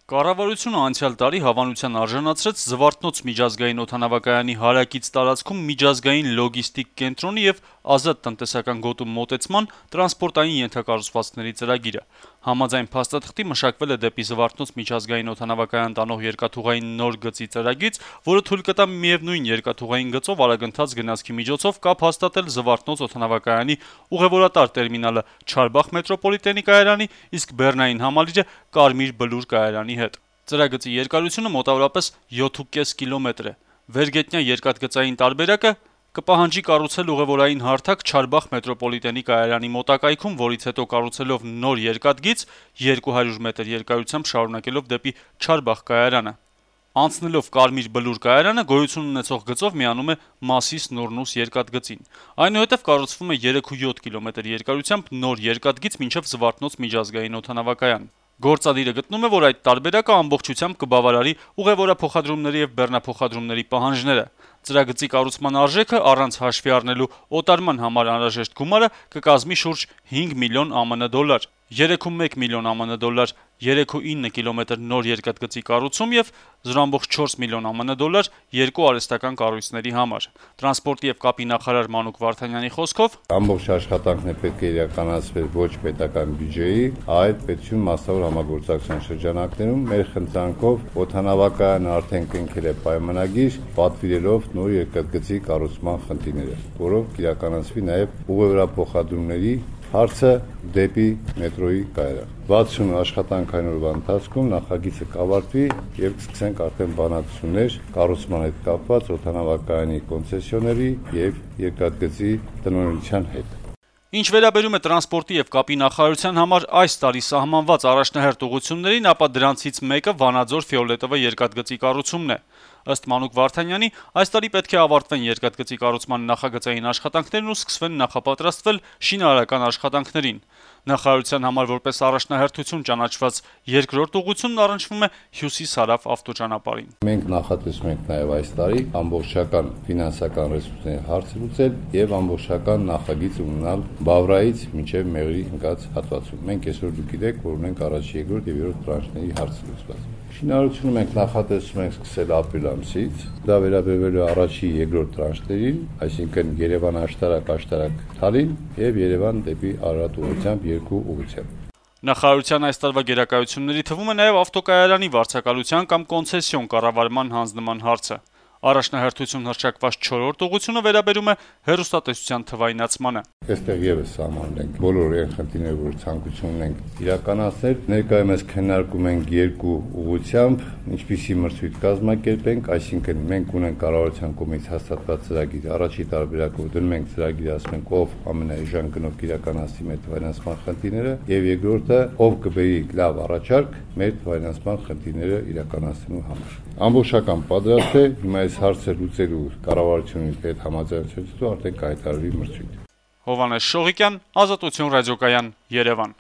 Կառավարությունը անցյալ տարի հավանության արժանացրեց Զվարթնոց միջազգային օդանավակայանի հարակից տարածքում միջազգային լոգիստիկ կենտրոնի եւ ազատ տնտեսական գոտու մոտեցման տրանսպորտային ենթակառուցվածքների ծրագիրը։ Համաձայն փաստաթղթի մշակվել է դեպի Զվարթնոց միջազգային օդանավակայան տանող երկաթուղային նոր գծի ծրագիր, որը թույլ կտա միևնույն երկաթուղային գծով արագընթաց գնացքի միջոցով կապ հաստատել Զվարթնոց օդանավակայանի ուղևորատար տերմինալը Չարբախ մետրոպոլիտենի կայարանի, իսկ բեռնային համալիրը Կարմիր Բլուր կայարանի հետ։ Ծրագծի երկարությունը մոտավորապես 7.5 կիլոմետր է։ Վերգետնյա երկաթգծային տարբերակը կպահանջի կառուցել ուղևորային հարթակ Չարբախ մետրոպոլիտենի կայարանի մոտակայքում, որից հետո կառուցելով նոր երկաթգիծ 200 մետր երկարությամբ շարունակելով դեպի Չարբախ կայարանը։ Անցնելով Կարմիր Բլուր կայարանը գոյություն ունեցող գծով միանում է Մասիս Նորնուս երկաթգծին։ Այնուհետև կառուցվում է 3.7 կիլոմետր երկարությամբ նոր երկաթգիծ մինչև Զվարթնոց միջազգային օդանավակայան։ Գործադիրը գտնում է, որ այդ տարբերակը ամբողջությամբ կբավարարի ուղևորափոխադրումների եւ բեռնափոխադրումների պահանջները։ Ծրագծի կառուցման արժեքը առանց հաշվի առնելու օտարման համար անհրաժեշտ գումարը կկազմի շուրջ 5 միլիոն ԱՄՆ դոլար, 3.1 միլիոն ԱՄՆ դոլար 3.9 կիլոմետր նոր երկաթգծի կառուցում եւ 0.4 միլիոն ԱՄՆ դոլար երկու արհեստական կառույցների համար։ Տրանսպորտի եւ կապի նախարար Մանուկ Վարդանյանի խոսքով ամբողջ աշխատանքն պետք է իրականացվեր ոչ պետական բյուջեի, այլ պետություն մասնավոր համագործակցության շրջանակներում մեր խնդրանքով օդանավակայանը արդեն կնքել է պայմանագիր, պատվիրելով նոր երկաթգծի կառուցման խնդիրները, որով կիրականացվի նաեւ ուղևորափոխադրումների հարցը դեպի մետրոյի կայարան։ 60 աշխատանքային օրվա ընթացքում նախագիծը կավարտվի եւ կսկսենք արդեն բանակցություններ կառուցման հետ կապված օդանավակայանի կոնցեսիոների եւ երկաթգծի տնօրինության հետ։ Ինչ վերաբերում է տրանսպորտի եւ կապի նախարարության համար այս տարի սահմանված առաջնահերթ ուղղություններին, ապա դրանցից մեկը Վանաձոր Ֆիոլետովա երկաթգծի կառուցումն է։ Ըստ Մանուկ Վարդանյանի, այս տարի պետք է ավարտվեն երկաթգծի կառուցման նախագծային աշխատանքներն ու սկսվեն նախապատրաստվել շինարարական աշխատանքներին։ Նախարարության համար որպես առաջնահերթություն ճանաչված երկրորդ ուղղությունն առնչվում է հյուսիս-հարավ ավտոճանապարհին։ Մենք նախատեսում ենք նաեւ այս տարի ամբողջական ֆինանսական ռեսուրսների հարցը լուծել եւ ամբողջական նախագիծ ունենալ Բավրայից մինչեւ Մեղրի ընկած հատվածում։ Մենք այսօր դուք գիտեք, որ ունենք առաջի, երկրորդ եւ երրորդ տրանշների հարցը լուծված։ Շինարարությունը մենք նախատեսում ենք սկսել ապրիլ ամսից։ Դա վերաբերվելու է առաջի, երկրորդ տրանշներին, այսինքն Երևան-Աշտարակ, Թալին եւ Երևան դեպի Արարատ ուղղությամբ երկու ուղղությամբ։ Նախարարության այս տարվա գերակայությունների թվում է նաեւ ավտոկայարանի վարձակալության կամ կոնցեսիոն կառավարման հանձնման հարցը։ Առաջնահերթություն հռչակված 4-րդ ուղղությունը վերաբերում է հեռուստատեսության թվայնացմանը։ Այստեղ եւս սահմանում ենք բոլոր այն խնդիրները, որ ցանկություն ունենք իրականացնել։ Ներկայումս քննարկում ենք երկու ուղղությամբ, ինչպիսի մրցույթ կազմակերպենք, այսինքն մենք ունենք կառավարության կողմից հաստատված ծրագիր, առաջի տարբերակով դնում ենք ծրագիր, ասում ենք ով ամենաէժան գնով կիրականացնի մեր թվայնացման խնդիրները, եւ երկրորդը ով կբերի լավ առաջարկ մեր թվայնացման խնդիրները իրականացնելու համար։ Ամբողջական պատրաստ է, հիմա այս հարցը լուծելու կառավարությունի հետ համաձայնությունից արդեն կայացարվի մրցույթ։ Հովհաննես Շողիկյան, Ազատություն ռադիոկայան, Երևան։